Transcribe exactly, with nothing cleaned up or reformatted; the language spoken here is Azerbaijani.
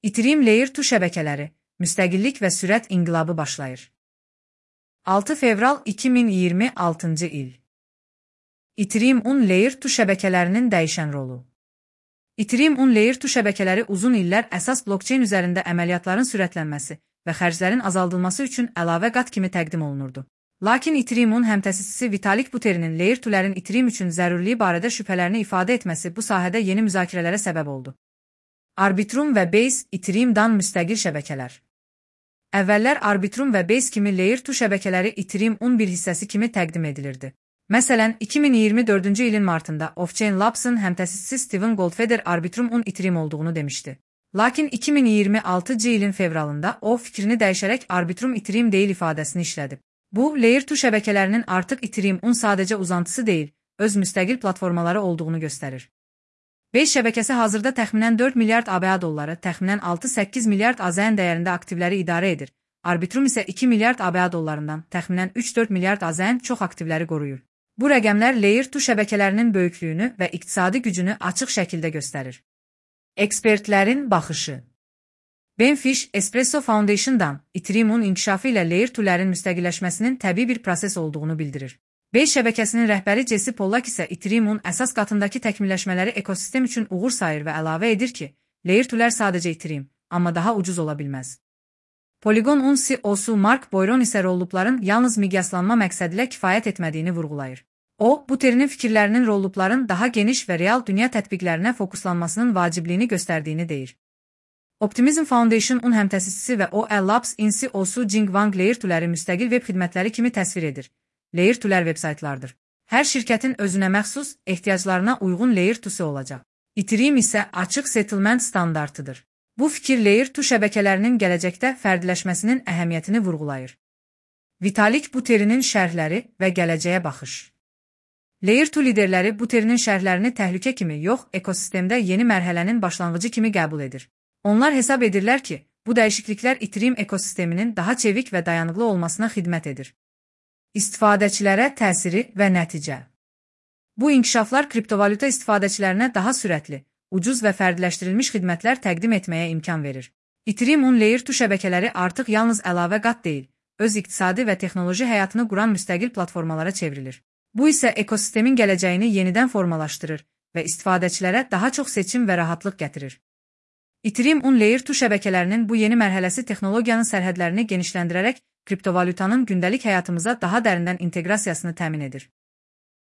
Ethereum Layer iki şəbəkələri, müstəqillik və sürət inqilabı başlayır. altı fevral iki min iyirmi altıncı il. Ethereum on Layer iki şəbəkələrinin dəyişən rolu. Ethereum on Layer iki şəbəkələri uzun illər əsas blockchain üzərində əməliyyatların sürətlənməsi və xərclərin azaldılması üçün əlavə qat kimi təqdim olunurdu. Lakin Ethereum on həmtəsisçisi Vitalik Buterin'in Layer ikilərin Ethereum üçün zəruriliyi barədə şübhələrini ifadə etməsi bu sahədə yeni müzakirələrə səbəb oldu. Arbitrum və Base Ethereum-dan müstəqil şəbəkələr. Əvvəllər Arbitrum və Base kimi Layer iki şəbəkələri Ethereum on bir hissəsi kimi təqdim edilirdi. Məsələn, iki min iyirmi dördüncü ilin martında Offchain Labs'ın həmtəsisçisi Steven Goldfeder Arbitrum on Ethereum olduğunu demişdi. Lakin iki min iyirmi altıncı ilin fevralında o fikrini dəyişərək Arbitrum Ethereum deyil ifadəsini işlədib. Bu, Layer iki şəbəkələrinin artıq Ethereum on sadəcə uzantısı deyil, öz müstəqil platformaları olduğunu göstərir. Base şəbəkəsi hazırda təxminən dörd milyard ABA dolları, təxminən altı səkkiz milyard A Z N dəyərində aktivləri idarə edir. Arbitrum isə iki milyard ABA dollarından, təxminən üç dörd milyard A Z N çox aktivləri qoruyur. Bu rəqəmlər Layer iki şəbəkələrinin böyüklüyünü və iqtisadi gücünü açıq şəkildə göstərir. Ekspertlərin baxışı. Ben Fish, Espresso Foundation'dan Ethereum on inkişafı ilə Layer ikilərin müstəqilləşməsinin təbii bir proses olduğunu bildirir. Base şəbəkəsinin rəhbəri Jesse Pollack isə Ethereum on əsas qatındakı təkmilləşmələri ekosistem üçün uğur sayır və əlavə edir ki, Layer ikilər sadəcə Ethereum, amma daha ucuz ola bilməz. Polygon on C E O-su Mark Boyron isə rollupların yalnız miqyaslanma məqsədilə kifayət etmədiyini vurğulayır. O, Buterin'in fikirlərinin rollupların daha geniş və real dünya tətbiqlərinə fokuslanmasının vacibliyini göstərdiyini deyir. Optimism Foundation on həmtəsisçisi və O L Labs in C E O-su Jing Wang Layer ikiləri müstəqil web xidmətləri kimi təsvir edir. Layer ikilər vebsaytlardır. Hər şirkətin özünə məxsus, ehtiyaclarına uyğun Layer ikisi olacaq. Ethereum isə açıq settlement standartıdır. Bu fikir Layer iki şəbəkələrinin gələcəkdə fərdiləşməsinin əhəmiyyətini vurğulayır. Vitalik Buterin'in şərhləri və gələcəyə baxış. Layer iki liderləri Buterin'in şərhlərini təhlükə kimi yox, ekosistemdə yeni mərhələnin başlanğıcı kimi qəbul edir. Onlar hesab edirlər ki, bu dəyişikliklər Ethereum ekosisteminin daha çevik və dayanıqlı olmasına xidmət edir. İstifadəçilərə təsiri və nəticə. Bu inkişaflar kriptovalyuta istifadəçilərinə daha sürətli, ucuz və fərdiləşdirilmiş xidmətlər təqdim etməyə imkan verir. Ethereum on Layer iki şəbəkələri artıq yalnız əlavə qat deyil, öz iqtisadi və texnoloji həyatını quran müstəqil platformalara çevrilir. Bu isə ekosistemin gələcəyini yenidən formalaşdırır və istifadəçilərə daha çox seçim və rahatlıq gətirir. Ethereum on Layer iki şəbəkələrinin bu yeni mərhələsi texnologiyanın sərhədlərini genişləndirərək kriptovalyutanın gündəlik həyatımıza daha dərindən inteqrasiyasını təmin edir.